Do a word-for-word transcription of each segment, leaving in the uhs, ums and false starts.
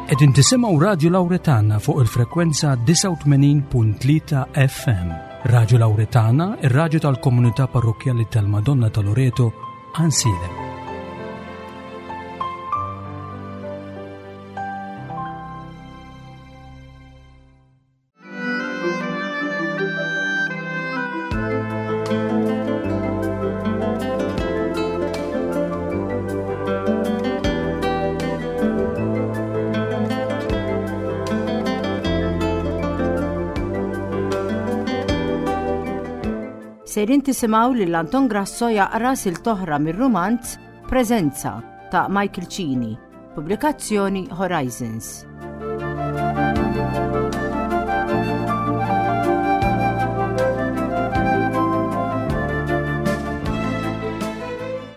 Qegħdin tisimgħu Radio Lauretana fuq il-frekwenza disgħa u tmenin punt tlieta F M. Radio Lauretana, ir-radju tal-Komunità Parrokkjali tal-Madonna ta' Loreto, Għajnsielem. Sejrin tisimgħu lil Anton Grasso jaqra silta oħra mir-rumanz Preżenza ta' Michael Cini, pubblikazzjoni Horizons.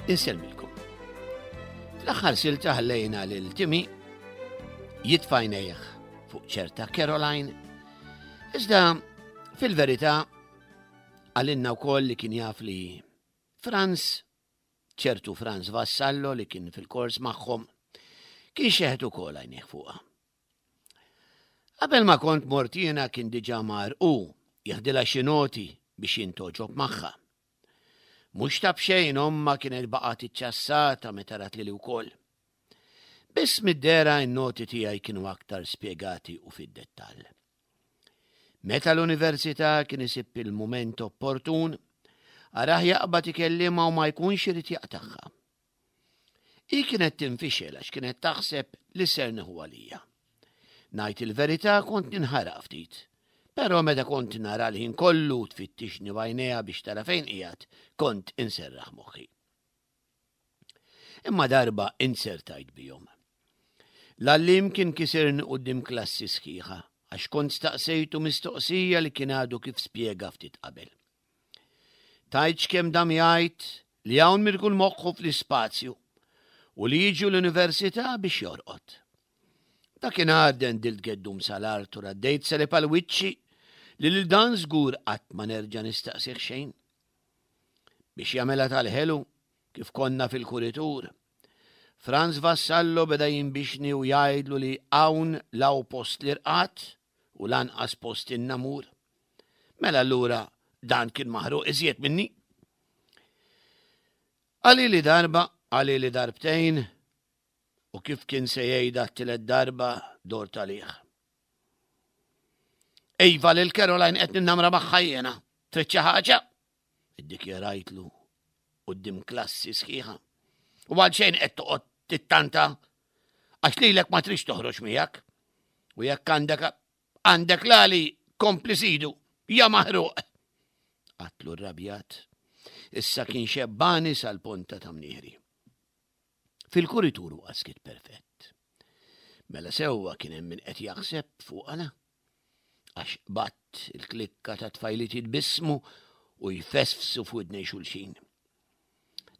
Insellmilkom. Fl-aħħar silta ħallejna lil Timmy jitfa' għajnejh fuq ċerta Caroline, iżda fil-verità qalilna wkoll li kien jaf li Franz, ċertu Franz Vassallo li kien fil-kors magħhom, kien xeħet ukoll għajnejh fuqha. Qabel ma kont mort jiena kien diġà mar u jeħdilha xi noti biex jintgħoġob magħha. Mhux ta' b'xejn omma kienet baqgħet iċċassata meta rat lili wkoll. Biss mid-dehra n-noti tiegħi kienu aktar spjegati u fid-dettall. Meta l-università kien isib il-mument opportun, arah jaqbad ikellimha u ma jkunx irid jaqtagħha. Hi kienet tinfixel għax kienet taħseb li ser nieħu għalija. Ngħid il-verità, kont ninħaraq ftit, però meta kont nara l-ħin kollu tfittixni b'għajnejha biex tara fejn qiegħed, kont inserraħ moħħi. Imma darba insertajt bihom. L-għalliem kien kisirni quddiem klassi sħiħa għax kont staqsejtu mistoqsija li kien għadu kif spjega ftit qabel. Tgħidx kemm dam jgħid li hawn min ikun moħħu fl-ispazju u li jiġu l-università biex jorqod. Dakinhar dendilt geddum sal-art u raddejt salib għal wiċċi li lil dan żgur qatt ma nerġa' nistaqsih xejn. Biex jagħmilha tal-ħelu kif konna fil-kuritur, Franz Vassallo beda jinbixni u jgħidlu li hawn la hu post l-irqad u lanqas post in-namur. Mela allura dan kien maħruq iżjed minni. Qalli darba, qalli darbtejn, u kif kien se jgħidha t-tielet darba dort għalih. "Iva, lil Caroline qed ninnamra magħha jiena. Trid xi ħaġa?" Iddikjarajtlu quddiem klassi sħiħa. "U għal xejn qed toqgħod tittanta għax lilek ma tridx toħroġ miegħek. U jekk għandek għandek lali kompli sidu, ja maħruq." Għedtlu rrabjat. Issa kien xebbani sal-ponta ta' mnieħri. Fil-kuritur huwa skiet perfett. Mela sewwa kien hemm min qed jaħseb fuqna. Għax bat il-klikka ta' tfajliet jitbissmu u jfesfsu f'widnej xulxin.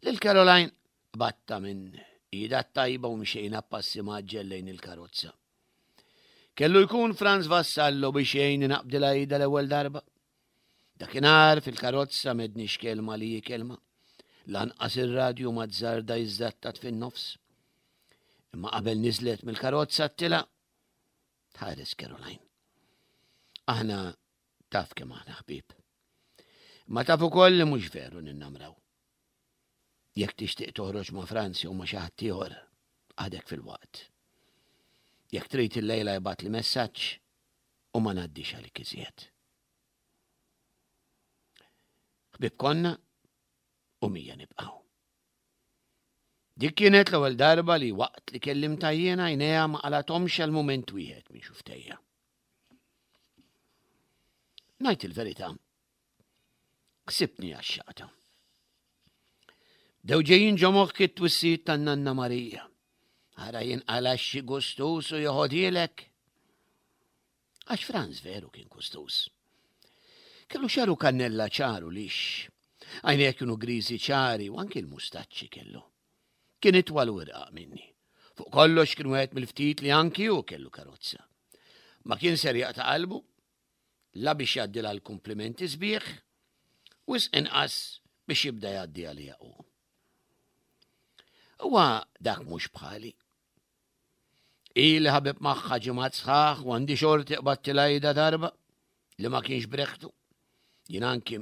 Lil Caroline qbadtha minn idha tajba u mxejna passi mgħaġġel lejn il-karozza. Kellu jkun Franz Vassallo biex jgħinni naqbdilha idha l-ewwel darba. Dakinhar fil-karozza m'għedniex kelma li hi kelma. Lanqas ir-radju ma azzarda jiżżattat fin-nofs. Imma qabel niżlet mill-karozza għedtilha: "Tħares, Caroline. Aħna taf kemm aħna ħbieb. Ma taf ukoll li mhux veru ninnamraw. Jekk tixtieq toħroġ ma' Franz jew ma' xi ħadd ieħor, għadek fil-waqt. Jekk trid il-lejla ibgħatli messaġġ u ma ngħaddix għalik iżjed." Ħbieb konna u mija nibqgħu. Dik kienet l-ewwel darba li waqt li kellimtha jiena għajnejha ma qalgħethomx għal mument wieħed minn xufftejja. Ngħid il-verità, ħsibtni għaxxaqtha. Bdew ġejjin ġo moħħi t-twissijiet tan-nanna Marija. "Ara jinqala' xi gustus u joħodhielek." Għax Franz veru kien gustus. Kellu xagħru kannella ċaru lixx. Għajnejh kienu griżi ċari u anki l-mustaċċi kellu. Kien itwal u irqaq minni. Fuq kollox kien wieħed mill-ftit li anki hu kellu karozza. Ma kien ser jaqta' qalbu, la biex jgħaddilha l-komplimenti sbieħ, wisq inqas biex jibda jgħaddi għalija hu. Huwa dak mhux bħali. Ili ħabib magħha ġimgħat sħaħ u għandi xorti qbadtilha idha darba li ma kienx breħtu. Jien anki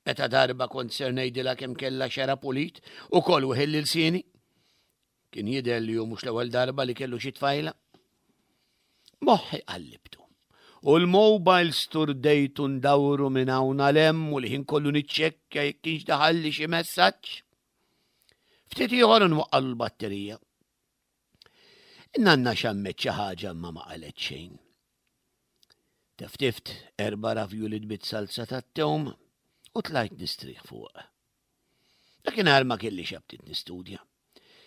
meta darba kont ser ngħidilha kemm kellha xera pulit ukoll weħilli lsieni. Kien jidher li hu mhux l-ewwel darba li kellu xi tfajla. Moħħi qallibtu. U l-mobile sturdejtu ndawru minn hawn għal hemm u l-ħin kollu niċċekkja jekk kienx daħalli xi messaġġ. Ftit ieħor nwaqqalu l-batterija. Nanna xammet xi ħaġa ma ma qalet xejn. Teftift erba' ravjuli bit-salza tat-tewm u tlajt nistrieħ fuq. Dakinhar ma kellix aptit nistudja.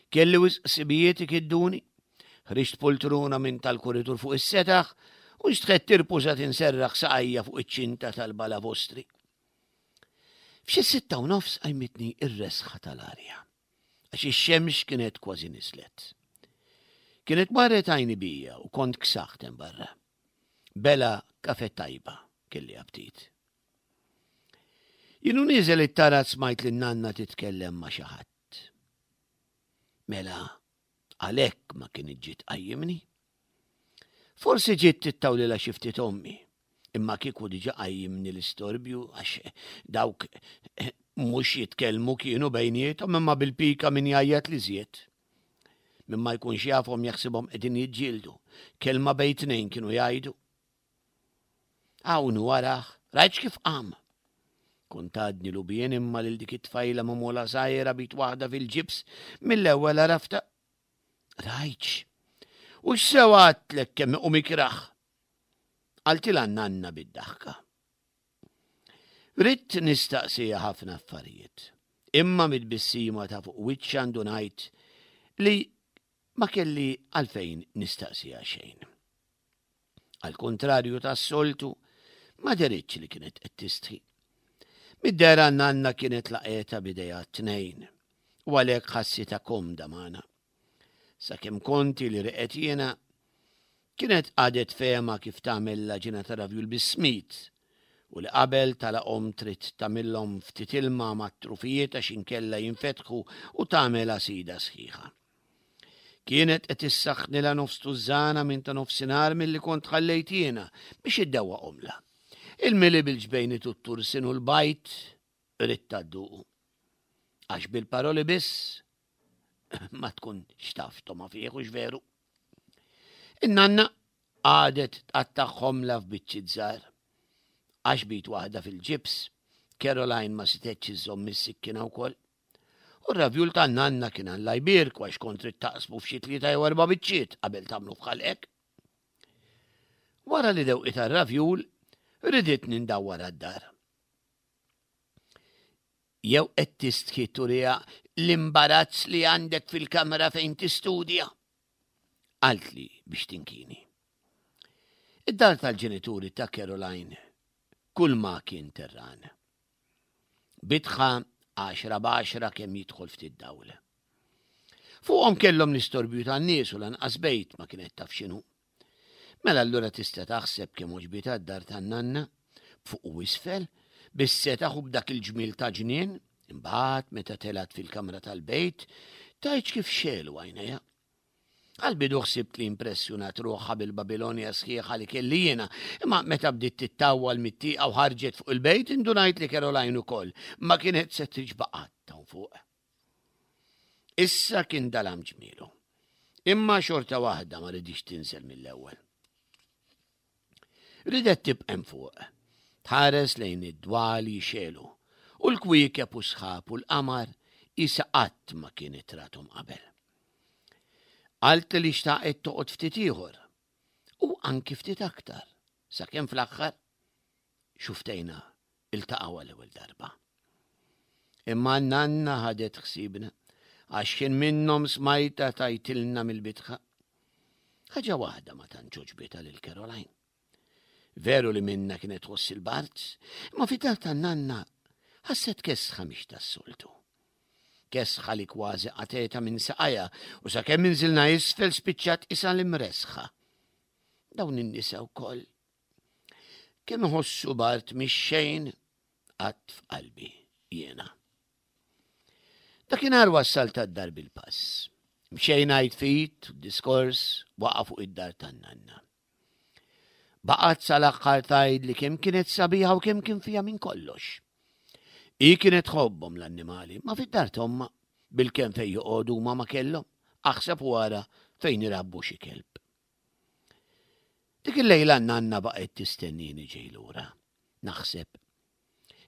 Kelli wisq ħsibijiet ikidduni. Ħriġt poltruna minn tal-kuritur fuq is-setaħ u nxtħett tirpużat inserraħ saqajja fuq iċ-ċinta tal-balavostri. F'xi sitta u nofs qajmitni ir-resħa tal-arja, għax ix-xemx kienet kważi nislet. Kienet marret għajni bija u kont ksaħt hemm barra. Bela kafe tajba kelli aptit. Jien u nieżel it-taraġ smajt lin nanna titkellem ma' xi ħadd. Mela, għalhekk ma kienet ġiet tqajjimni. Forsi ġiet tittawlilha xi ftit ommi, imma kieku diġà qajjimni l-istorbju għax dawk mhux jitkellmu kienu bejniethom imma bil-pika min jgħajjat li żjed. Min ma jkunx jafhom jaħsibhom qegħdin jiġġieldu. Kelma bejn tnejn kienu jgħidu. Hawn waraħ, rajtx kif qam. Kont għadni lubien imma lil dik it-tfajla magħmula żgħira bit waħda fil-ġibs mill-ewwel għarafta. Rajtx. U x'sew għadtlek kemm iqum ikrah. Qaltilha nanna bid-daħka. Ridt nistaqsija ħafna affarijiet, imma mid-bissima ta' fuq wiċċha ndunajt li ma kelli għalfejn nistaqsija xejn. Għal kontrarju tas-soltu, ma deritx li kienet qed tistħi. Mid-dera nanna kienet laqgħetha b'idejha t-tnejn u għalhekk ħassitha komda magħna. Sakemm konti li reqet jiena, kienet għadet fehma kif tagħmel l-għaġina ta' ravjul bis-smid u li qabel talaqhom trid tagħmilhom ftit ilma mat-trufijiet għax inkella jinfetħu u tagħmel għasida sħiħa. Kienet qed issaħħnilha nofs tużżana minn ta' nofsinhar milli kont ħallejt jiena biex iddewwaqhomlha. Il-mili bil-ġbejniet u t-tursin u l-bajd ridtha dduqu. Għax bil-paroli biss ma tkun xtaf toma fih u veru. In-nanna għadet tqattagħhomlha f'biċċiet żgħar. Għax bit waħda fil-ġibs, Caroline ma setgħetx iżżomm is-sikkina wkoll. U r-ravjul tan-nanna kien Alla jbierku għax kont trid taqsmu f'xi tlieta jew erba' biċċiet qabel tagħmlu f'ħalqek. Wara li dewqitha r-ravjul, riditni ndawwar għad-dar. Jew qed tistħi turiha l-imbarazz li għandek fil-kamra fejn tistudja? Qaltli biex tinkini. Id-dar tal-ġenituri ta' Caroline kull ma kien terran. Bitħa għaxra b'għaxra kemm jidħol ftit dawl. Fuqhom kellhom l-istorbju tan-nies u lanqas bejt ma kienet taf x'inhu. Mela allura tista' taħseb kemm għoġbitha d-dar tan-nanna, b'fuq u isfel, bis-setaħ u b'dak il-ġmiel ta' ġnien, imbagħad meta telgħet fil-kamra tal-bejt, tgħidx kif xegħlu għajnejha. Għal-bidu ħsibt li impressjonat ruħha bil-Babilonja sħiħa li kelli jiena, imma meta bdiet tittawwal mit-tieqa u ħarġet fuq il-bejt indunajt li Caroline ukoll ma kienet se tiġba' qatt hawn fuq. Issa kien dalam ġmielu. Imma xorta waħda ma ridix tinżel mill-ewwel. Ridet tibqa' hemm fuq, tħares lejn id-dwal jixelu u l-kwiekeb u sħab u l-qamar isa qatt ma kienet rathom qabel. Qaltli li xtaqet toqgħod ftit ieħor u anki ftit aktar, sakemm fl-aħħar xuftejna iltaqgħu għall-ewwel darba. Imma nanna ħadet ħsiebna għax kien minnhom smajta tajtilna mill-bitħa. Ħaġa waħda ma tantx għoġbitha lil Caroline. Veru li minna kienet tħoss il-bard, imma fid-dar tan-nanna ħasset kesħa mhix tas-soltu. Kesħa li kważi qatgħetha minn saqajha u sakemm inżilna isfel spiċċat isa l-imresħa. Dawn in-nisa wkoll. Kemm iħossu bard mix-xejn qatt f'qalbi jiena. Dakinhar wassalt għad-dar bil-pass. Mxejna jitfit, diskors waqa' fuq id-dar tan-nanna. Baqgħet sal-aħħar tgħid li kemm kienet sabiħa u kemm kien fiha minn kollox. Hi kienet tħobbhom l-annimali, ma fid-dar t'ommha bil-kemm fejn joqogħdu ma ma kellhom, aħseb wara fejn irabbu xi kelb. Dik il-lejla nanna baqgħet tistennini ġej lura. Naħseb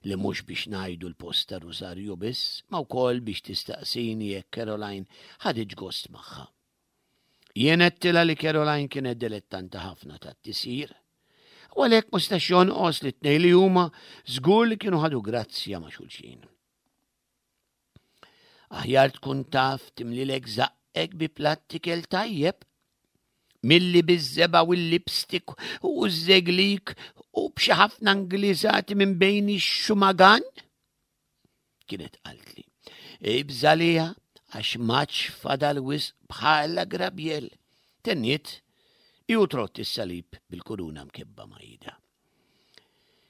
li mhux biex ngħidu l-post ta' Rosarju biss, ma wkoll biex tistaqsini jekk Caroline ħaditx gost magħha. Jien għedtilha li Caroline kienet dilettanta ħafna tat-tisjir. U għalhekk ma stax jonqos li tnejn li huma żgur li kienu ħadu grazzja ma' xulxin. Aħjar tkun taf timlilek żaqqek bi platt ikel tajjeb milli biż-żebgħa u l-lipstick u ż-żeglik u b'xi ħafna Ingliżati minn bejn ix-xumagan. Kienet qaltli. Ibżalija għax maċ fadal wisq bħala Grabiel. Tenniet, ju trott is-salib bil-kuruna mkebba ma' ida.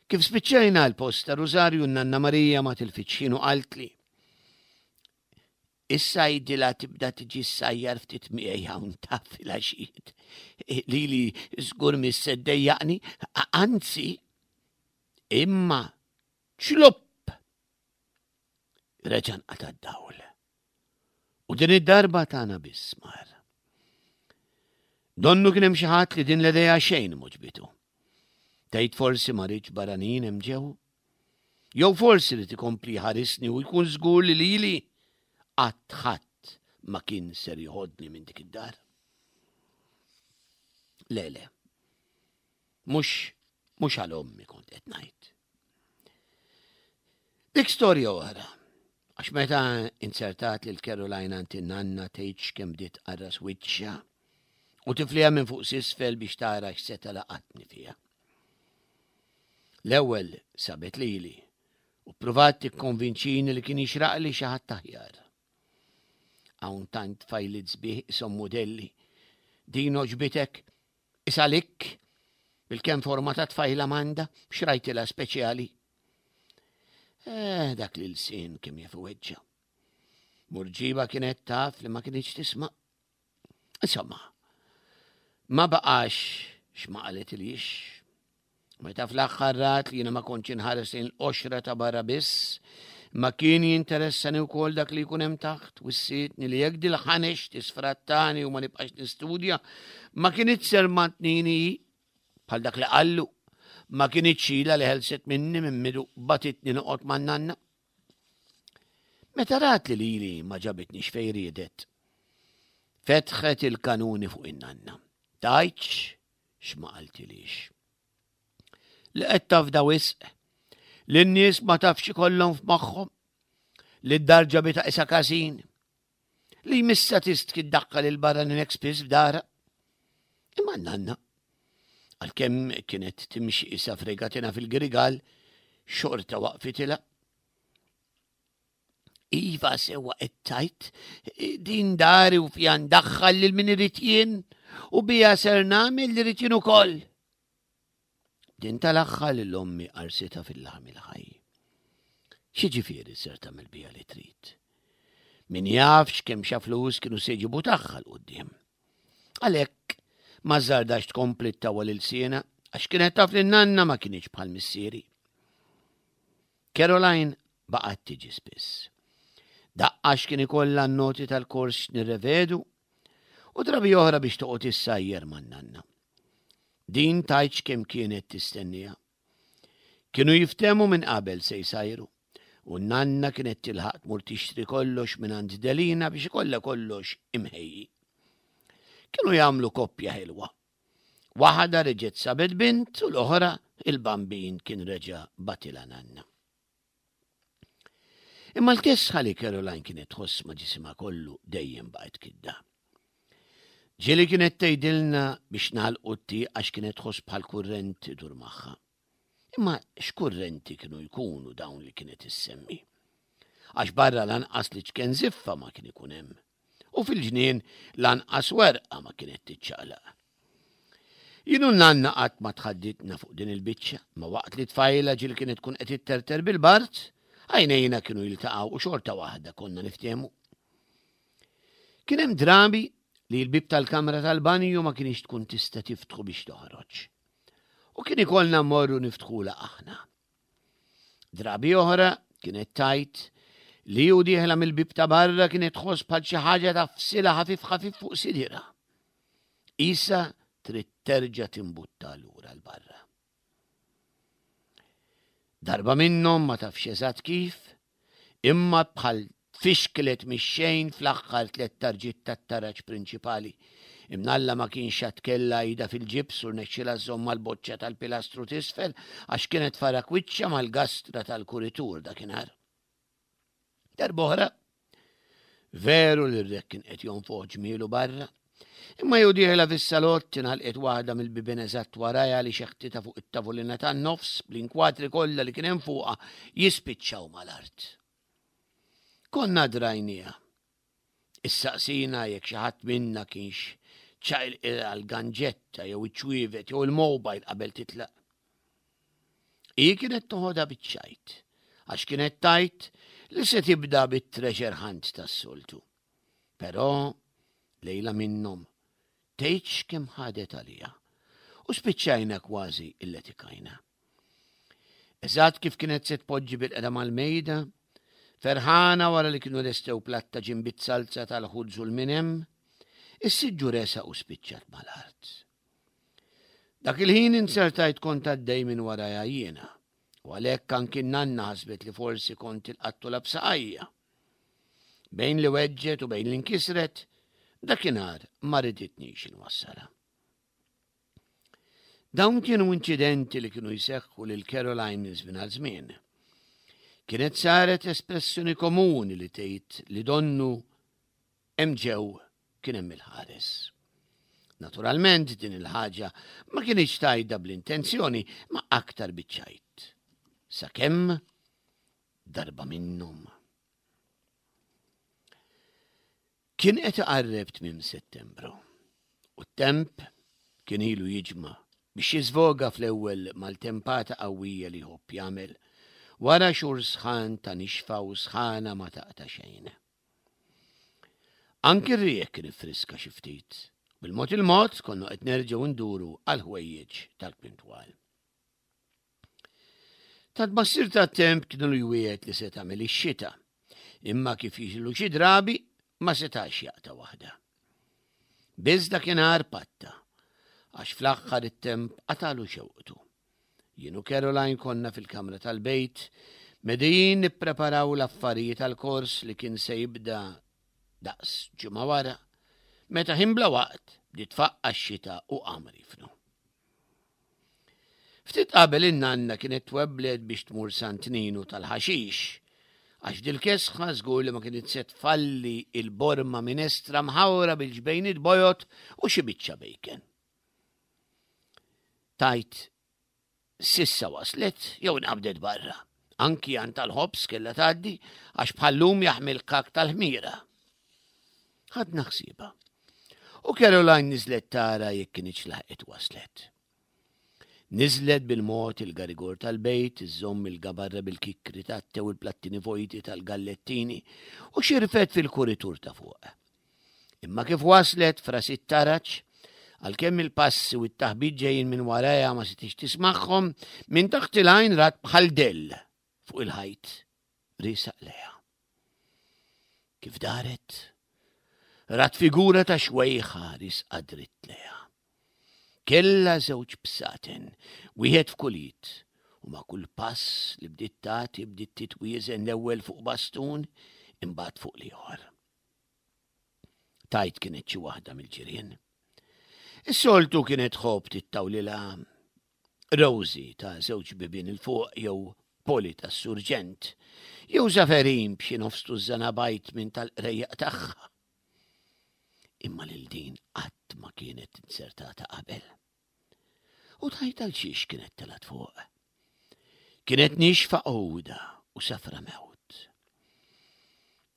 Kif spiċċajna l-post ta' Rosarju Nanna Marija ma tilfitx u qaltli. Issa jidila tibda tiġi ssajjar ftit miegħi hawn taf filgħaxijiet. Lili żgur mis-seddejjaqni, anzi, imma ċlupp. Reġa' nqata' d-dawl. U din id-darba tagħna biss mar. Donnu kien hemm xi ħadd li din l-idea xejn m'għoġbitu. Tgħid forsi ma rridx barranin hemm ġew? Jew forsi li tikompli ħarisni u jkun żgur li lili qatt ħadd ma kien ser joħodni minn dik id-dar. Le, le. Mhux mhux għal ommi kont qed ngħid. Dik storja oħra. Għax meta insertat lil Caroline għand in-nanna tgħidx kemm bdiet qarras wiċċha u tifliha minn fuq s'isfel biex tara x'seta' laqatni fiha. L-ewwel sabet lili u ppruvat tikkonvinċini li kien jixraqli xi ħadd aħjar. Hawn tant fajliet sbieħ ishom modelli. Din oġbitek, isalik, bil-kemm forma ta' tfajla m'għandha, xrajtilha speċjali. Eh, dak li l-sin kemm jaf weġġa. Murġiba kienet taf li ma kienx tisma'. Insomma, ma baqax x'ma qalet ilix. Meta fl-aħħar rat li jiena ma kontx inħares lejn l-qoxra ta' barra biss, ma kien jinteressani wkoll dak li jkun hemm taħt, wissietni li jekk dil-ħanex tisfrattani u ma nibqax nistudja, ma kinitx ser mantnini bħal dak li qallu, ma kinitx ilha li ħelset minni minn midu batitni noqgħod man-nanna. Meta rat li lili ma ġabitnix fejn riedet, fetħet il-kanuni fuq in-nanna. Tgħidx x'ma qaltilix. Li qed tafda wisq, li n-nies ma tafx ikollhom f'moħħhom, li d-dar ġabitha isa każin, li jmissa tistki ddaħħal il-barranin hekk spiss f'dara. Imma n-nanna, għalkemm kienet timxi isa fregatina fil-grigal, xorta waqfitilha. Iva sewa qed tgħid, din dari u fiha ndaħħal lil min irid jien u bija ser nagħmel li rrid jien ukoll. Din tal-aħħar lil ommi qarsitha fil-laħam il-ħaj. X'jiġifieri ser tagħmel bija li trid? Min jafx kemm xa flus kienu se jġibu tagħha 'l quddiem. Għalhekk ma żardax tkompli ttawwal ilsienha għax kienet taf li nanna ma kienx bħal missieri. Caroline baqgħet tiġi spiss. Daqqax kien ikollha n-noti tal-kors nirrevedu u drabi oħra biex toqgħod issajjer man-nanna. Din tgħidx kemm kienet tistennija. Kienu jiftemu minn qabel se jsajru u n-nanna kienet tilħaq tmur tixtri kollox minn għand Delina biex ikollha kollox imħejji. Kienu jagħmlu koppja ħelwa. Waħda reġgħet sabet bint u l-oħra il-bambin kien reġa' batilha nanna. Imma l-kesħa li Caroline kienet tħoss ma' ġisimha kollu dejjem baqgħet kidda. Ġieli kienet tgħidilna biex nagħlqu t-tieqa għax kienet tħoss bħal kurrent idur magħha. Imma x'kurrenti kienu jkunu dawn li kienet issemmi? Għax barra lanqas li ċken ziffa ma kien ikun hemm. U fil-ġnien lanqas werqa ma kienet tiċċaqlaq. Jien u nanna qatt ma tħadditna fuq din il-biċċa, ma waqt li tfajla ġieli kienet tkun qed itterter bil-bart, għajnejna kienu jiltaqgħu u xorta waħda konna niftehmu. Kien hemm drabi li l-bib tal-kamra tal-banju ma kienx tkun tista' tiftħu biex toħroġ. U kien ikollna mmorru niftħula aħna. Drabi oħra kienet tgħid li u dieħla mill-bib ta' barra kienet tħoss bħal xi ħaġa tagħfsilha ħafif ħafif fuq sidirha. Isa trid terġa' timbutta lura 'l barra. Darba minnhom ma tafx eżatt kif, imma bħal tfixklet mix-xejn fl-aħħar tliet tarġiet tat-taraġ prinċipali. Imnalla ma kienx għad kellha idha fil-ġibs u rnexxielha żżomm mal-boċċa tal-pilastru t'isfel għax kienet farak wiċċha mal-gastra tal-kuritur dakinhar. Darb'oħra, veru li r-riħ kien qed jonfoħ ġmielu barra, imma jew dieħla fis-salott ingħalqet waħda mill-bibien eżatt warajha li xeħtitha fuq it-tavolina tan-nofs bl-inkwatri kollha li kien hemm fuqha jispiċċaw mal-art. Konna drajniha. Issaqsina jekk xi ħadd minna kienx ċaqilqilha l-ganġetta jew iċ-ċwievet jew il-mobile qabel titlaq. Hi kienet toħodha biċ-ċajt, għax kienet tgħid li se tibda bit-treasure hunt tas-soltu. Però lejla minnhom tgħidx kemm ħadet għaliha u spiċċajna kważi illetikajna. Eżatt kif kienet se tpoġġi bil-qeda mal-mejda, ferħana wara li kienu lestew platta ġimbit salza tal-ħudżu l-minem, is-siġġu resaq u spiċċat mal-art. Dak il-ħin insertajt kont għaddej minn warajha jiena, u għalhekk anki nanna ħasbet li forsi kont ilqattulha b'saqajja. Bejn li weġġgħet u bejn li nkisret, dakinhar ma riditnix inwassalha. Dawn kienu inċidenti li kienu jseħħu lil Caroline minn żmien għal żmien. Kienet saret espressjoni komuni li tgħid li donnu hemm ġew kien hemm il-ħares. Naturalment din il-ħaġa ma kienx tgħidha bl-intenzjoni ma aktar biċ-ċajt. Sakemm darba minnhom. Kien qed iqarreb tmiem Settembru u t-temp kien ilu jiġma' biex jiżvoga fl-ewwel maltempata qawwija li jħobb jagħmel wara xhur sħan ta' nixfa u sħana ma taqta' xejn. Anki r-riħ kien iffriska xi ftit. Bil-mod il-mod konna qed nerġgħu nduru għal ħwejjeġ tal-kwintwal. Ta' tbassir tat-temp kienu jwiegħed li se tagħmel ix-xita, imma kif jiġru xi drabi ma setax jaqta' waħda. Biss dakinhar patta, għax fl-aħħar it-temp qatalu xewqtu. Jien u Caroline konna fil-kamra tal-bejt, medijin nippreparaw l-affarijiet tal-kors li kien se jibda daqs ġimgħa wara, meta ħin bla waqt bdiet tfaqqa' x-xita u qam rifnu. Ftit qabel in-nanna kienet twebblet biex tmur Sant Ninu tal-ħaxix, għax dil-kesħa żgur li ma kienet se tfalli il-borma minestra mħawra bil-ġbejniet bojod u xi biċċa bacon. Tajt sissa waslet jew nqabdet barra. Anki għand tal-ħobż kellha tgħaddi għax bħallum jaħmi l-kak tal-ħmira. Ħadna ħsiebha. U Caroline niżlet tara jekk kienx laħqet waslet. Niżlet bil-mod il-garigor tal-bejt, iżżomm il-gabarra bil-kikri tat-te u l-plattini vojti tal-gallettini u xirfet fil-kuritur ta' fuq. Imma kif waslet fras it-taraġ, għalkemm il-passi u t-taħbit ġejjin minn warajha ma setgħetx tismagħhom, minn taħt il-għajn rat bħal dell fuq il-ħajt riesaq lejha. Kif daret, rat figura ta' xwejħa riesqa dritt lejha. Kellha żewġ bsaten, wieħed f'kull id, u ma' kull pass li bdiet tagħti bdiet titwieżen l-ewwel fuq bastun, imbagħad fuq l-ieħor. Tajt kienet xi waħda mill-ġirien. Is-soltu kienet tħobb tittawlilha Rosie ta' żewġ bibien 'il fuq jew Poli tas-surġent, jew Zaferin b'xi nofs tużżana bajd minn tal-qrejjaq tagħha. Imma lil din qatt ma kienet inzertata qabel. U tajt għal xiex kienet telgħet fuq. Kienet nixfa għuda u safra mewt.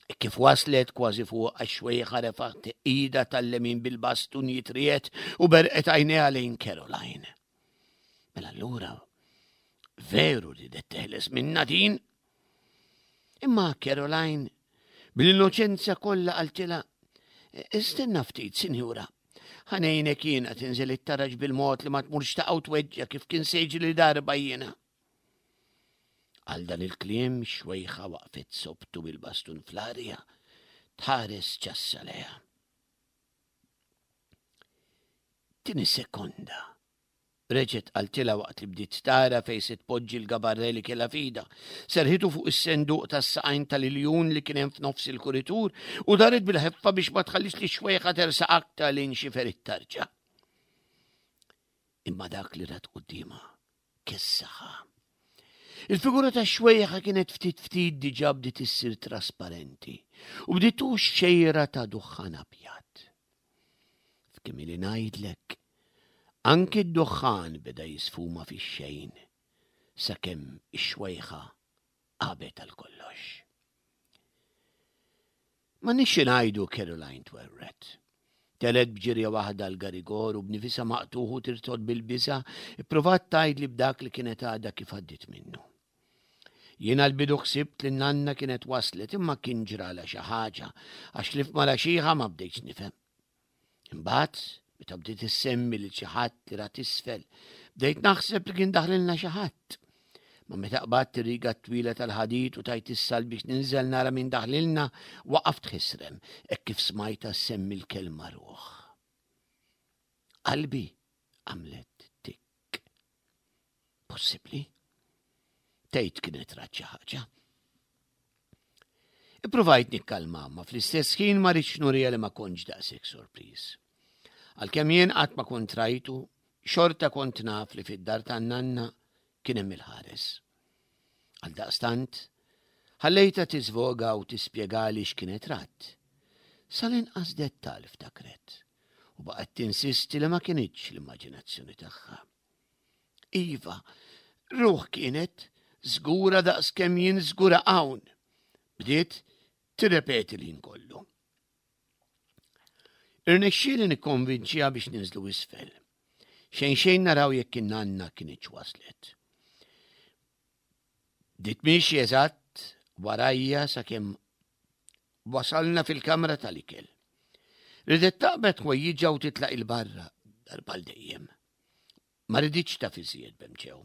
E kif waslet kważi fuq għax-xwejħa refgħet idha tal-lemin bil-bastun jitriet u berqet għajnejha lejn Caroline. Mela allura veru ridet teħles minna din. Imma Caroline bl-innoċenza kollha qaltilha, Istenna ftit, sinjura. Ħa ngħinek jiena tinżel it-taraġ bil-mod li ma tmurx taqa' u tweġġa' kif kien se jiġri darba jiena. Għal dan il-kliem xwejħa waqfet sobtu bil-bastun fl-arja, tħares ċassa lejha. Tini sekonda. Reġgħet qaltilha waqt li bdiet tara fejn se tpoġġi l-gabarre li kellha f'idha. Serħitu fuq is-senduq tas-saqajn tal-iljun li kien hemm f'nofs il-kuritur u daret bil-ħeffa biex ma tħallix li xwejħa tersaq aktar lejn xifer it-tarġa. Imma dak li rat quddiemha kessaħa. Il-figura ta' xwejħa kienet ftit ftit diġà bdiet issir trasparenti u bdiet tux xejra ta' duħħan abjad. F'kemm ili ngħidlek, anki d-duħħan beda jisfuma fix-xejn sakemm ix-xwejħa qabet għal kollox. Ma nixxi ngħidu Caroline twerret. Telgħet b'ġirja waħda l-garigor u b'nifisha maqtugħ u tirtod bil-biża' ippruvat tgħidli b'dak li kienet għadha kif għaddiet minnu. Jiena l-bidu ħsibt li n-nanna kienet waslet imma kien ġralha xi ħaġa għax li f'mara xiħa ma bdejtx nifhem. Imbagħad, meta bdiet issemmi lil xi ħadd li rat isfel, bdejt naħseb li kien daħlilna xi ħadd. Ma meta qbadt ir-riga twila tal-ħadid u tajt is-sal biex ninżel nara min daħlilna, waqaft ħisrem hekk kif smajta semmi l-kelma ruħ. Qalbi għamlet tikk. Possibbli? Tgħid kienet rat xi ħaġa. Ippruvajt nikkalma, ma fl-istess ħin ma rridx nurija li ma kontx daqshekk sorpriż. Għalkemm jien qatt ma kont rajtu, xorta kont naf li fid-dar tan-nanna kien hemm il-ħares. Għaldaqstant, ħallejtha tiżvoga u tispjegali x'kienet rat. Sal-inqas dettal ftakret u baqgħet tinsisti li ma kinitx l-immaġinazzjoni tagħha. Iva, ruħ kienet żgura daqskemm jien żgura hawn. Bdiet tirrepeti l-ħin kollu. Irnexxieli nikkonvinċiha biex ninżlu isfel. Xejn xejn naraw jekk in-nanna kinitx waslet. Bdiet miexi eżatt warajja sakemm wasalna fil-kamra tal-ikel. Ridet taqbad ħwejjiġha u titlaq il-barra darba l dejjem. Ma riditx taf iżjed b'hemm ġew.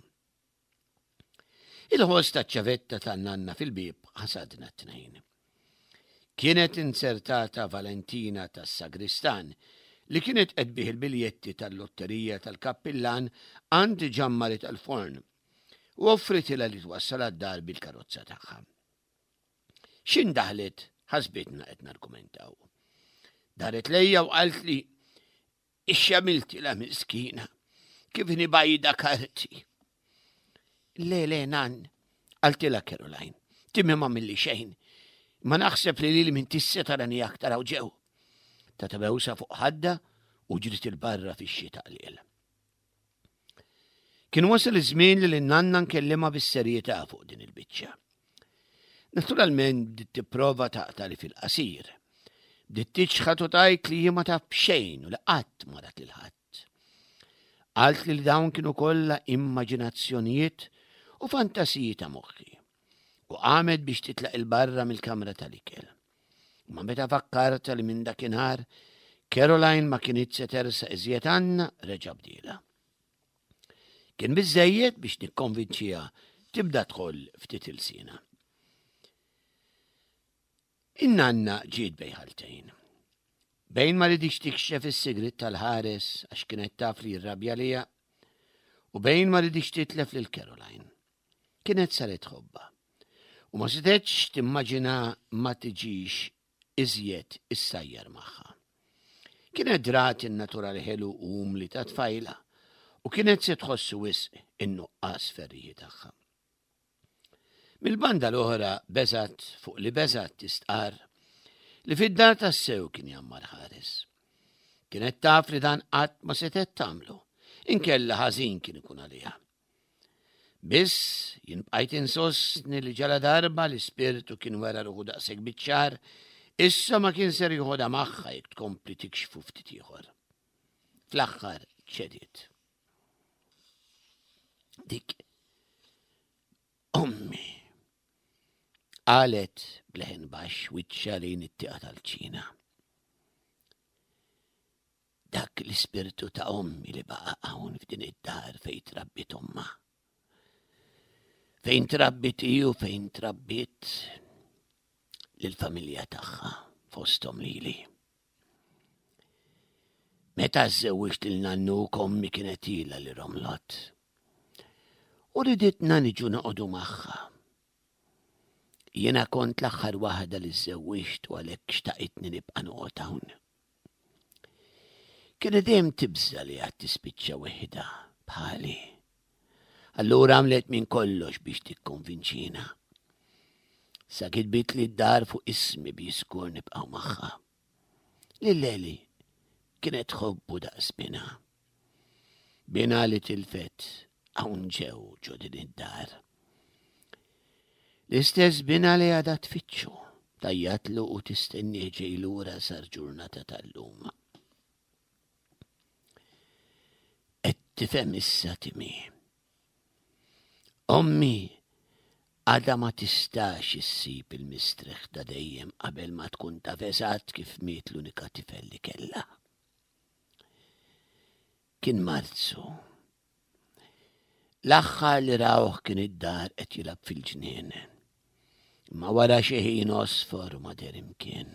Il-ħoss taċ-ċavetta tan-nanna fil-bieb ħasadna t-tnejn. Kienet insertata Valentina tas-Sagristan li kienet qed bih il-biljetti tal-lotterija tal-kappillan għand ġammari tal-forn u offritilha li twassal għad-dar bil-karozza tagħha. X'in daħlet ħasbitna qed nargumentaw. Daret lejja u qalt li ixxamilti la miskina kif nibajda karti. Le, le, nan, qaltilha Caroline, timmi ma milli xejn. Ma naħseb li lili minn tisse tarani aktar hawn ġew. Ta' bewsa fuq ħadda u ġrit il-barra fix-xita qliel. Kien wasal iż-żmien li l-nanna nkellimha bis-serjetà fuq din il-biċċa. Naturalment bdiet tipprova taqta' li fil-qasir. Bdiet tiċħad u tgħid li hi ma taf b'xejn u li qatt ma rat lil ħadd. Qalt li dawn kienu kollha immaġinazzjonijiet u fantasiji ta' moħħi. U qamet biex titlaq il-barra mill-kamra tal-ikel. Ma meta fakkarta li minn dakinhar Caroline ma kienet se tersa iżjed għandna reġa' bdiela. Kien biżejjed biex nikkonvinċiha tibda tħoll ftit ilsina. In-nanna ġiet bejn ħaltejn. Bejn ma ridix tikxef is-sigrit tal-ħares għax kienet taf li jirrabja lija u bejn ma ridix titlef lil Caroline. Kienet saret ħobba. U ma setgħetx timmaġina ma tiġix iżjed issajjar magħha. Kienet drat in-natural ħelu u umli ta' tfajla u kienet se tħossu wisq in-nuqqas ferriħi tagħha. Mil-banda l-oħra beżat fuq li beżat tistqar li fid-dar tassew kien jammar ħares. Kienet taf li dan qatt ma setgħet tagħmlu, inkella ħażin kien ikun għaliha. Biss jien bqajt insostni li ġala darba l-ispirtu kien wera ruħu daqshekk biċ-ċar, issa ma kien ser joħodha magħha jekk tkompli tikxfu ftit ieħor. Fl-aħħar ċediet. Dik ommi qalet bleħen baxx wiċċha lejn it-tieqa tal-ċina. Dak l-ispirtu ta' ommi li baqa' hawn f'din id-dar fejn trabbiet omma. Fejn trabbiet hi u fejn trabbiet lill-familja tagħha fosthom lili. Meta żżewwiġt lil nannuk ommi kienet ilha li romlot. U riditna niġu noqogħdu magħha. Jiena kont l-aħħar waħda li żżewwiġt u għalhekk xtaqitni nibqa' noqgħod hawn. Kienet dejjem tibża' li għad tispiċċa weħidha bħali. Allura għamlet minn kollox biex tikkonvinċina. Sa kitbitli d-dar fuq ismi biex żgur nibqgħu magħha. Lil Eli kienet tħobbu daqs binha. Binha li tilfet hawn ġew ġo din id-dar. L-istess binha li għadha tfittxu, tgħajjatlu u tistennieh ġej lura sal-ġurnata tal-lum. Qed tifhem issa Timmy. Ommi għadha ma tistax issib il-mistrieħ ta' dejjem qabel ma tkun taf eżatt kif miet l-unika tifel li kellha. Kien Marzu. L-aħħar li rawh kien id-dar qed jilgħab fil-ġnien. Imma wara xi ħin għosfor u ma deher imkien.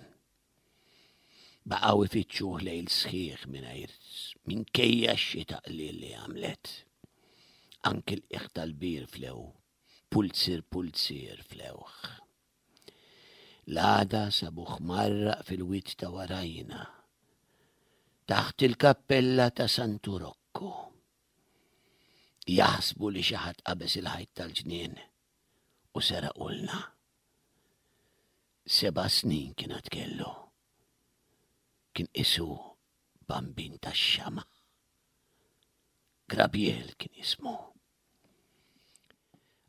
Baqgħu ifittxuh lejl sħiħ mingħajr minkejja x-xita qliel li għamlet. Anki l-qiegħ tal-bir flew, pulzier pulzier flewh. L-għada sabuh mgħarraq fil-wied ta' warajna, taħt il-kappella ta' Santu Rokku. Jaħsbu li xi ħadd qabeż il-ħajt tal-ġnien u seraqulna. Seba' snin kien għad kellu. Kien qisu bambin tax-xama'. Grabiel kien jismu.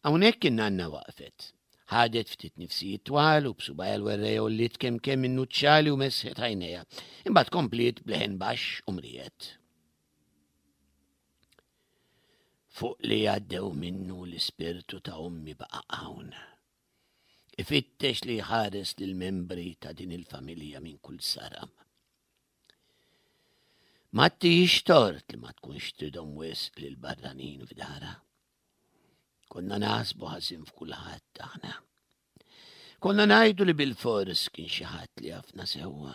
Hawnhekk in-nanna waqfet. Ħadet ftit nifsijiet twal u b'subgħajha l-werrej għolliet kemm kemm in-nuċċali u mesħet għajnejha. Imbagħad kompliet b'leħen baxx u mrijet. Fuq li għaddew minnu l-ispirtu ta' ommi baqa' hawn. Ifittex li jħares lill-membri ta' din il-familja minn kull saram. Ma tihiex tort li ma tkunx tridhom wisq lil barranin f'darha. Konna naħsbu ħażin f'kulħadd aħna. Konna ngħidu li bilfors kien xi ħadd li jafna sewwa.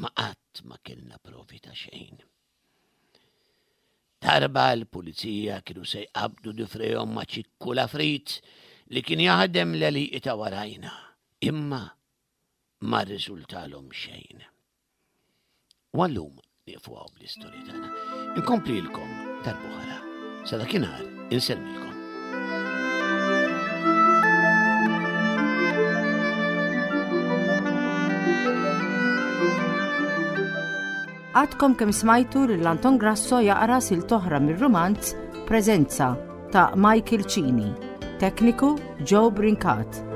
Ma qatt ma kellna provi ta' xejn. Darba l-pulizija kienu se jqabdu difrejhom ma' Ċikku l-Afrit li kien jaħdem l-għelieqi ta' warajna, imma ma rriżultalhom xejn. U għallum nieqfu hawn bl-istorja tagħna. Inkomplilkom darb'oħra. Sa dakinhar insellmilkom. Għadkom kemm smajtu lil Anton Grasso jaqra silta oħra mir-rumanz Preżenza ta' Michael Cini. Tekniku Joe Brincat.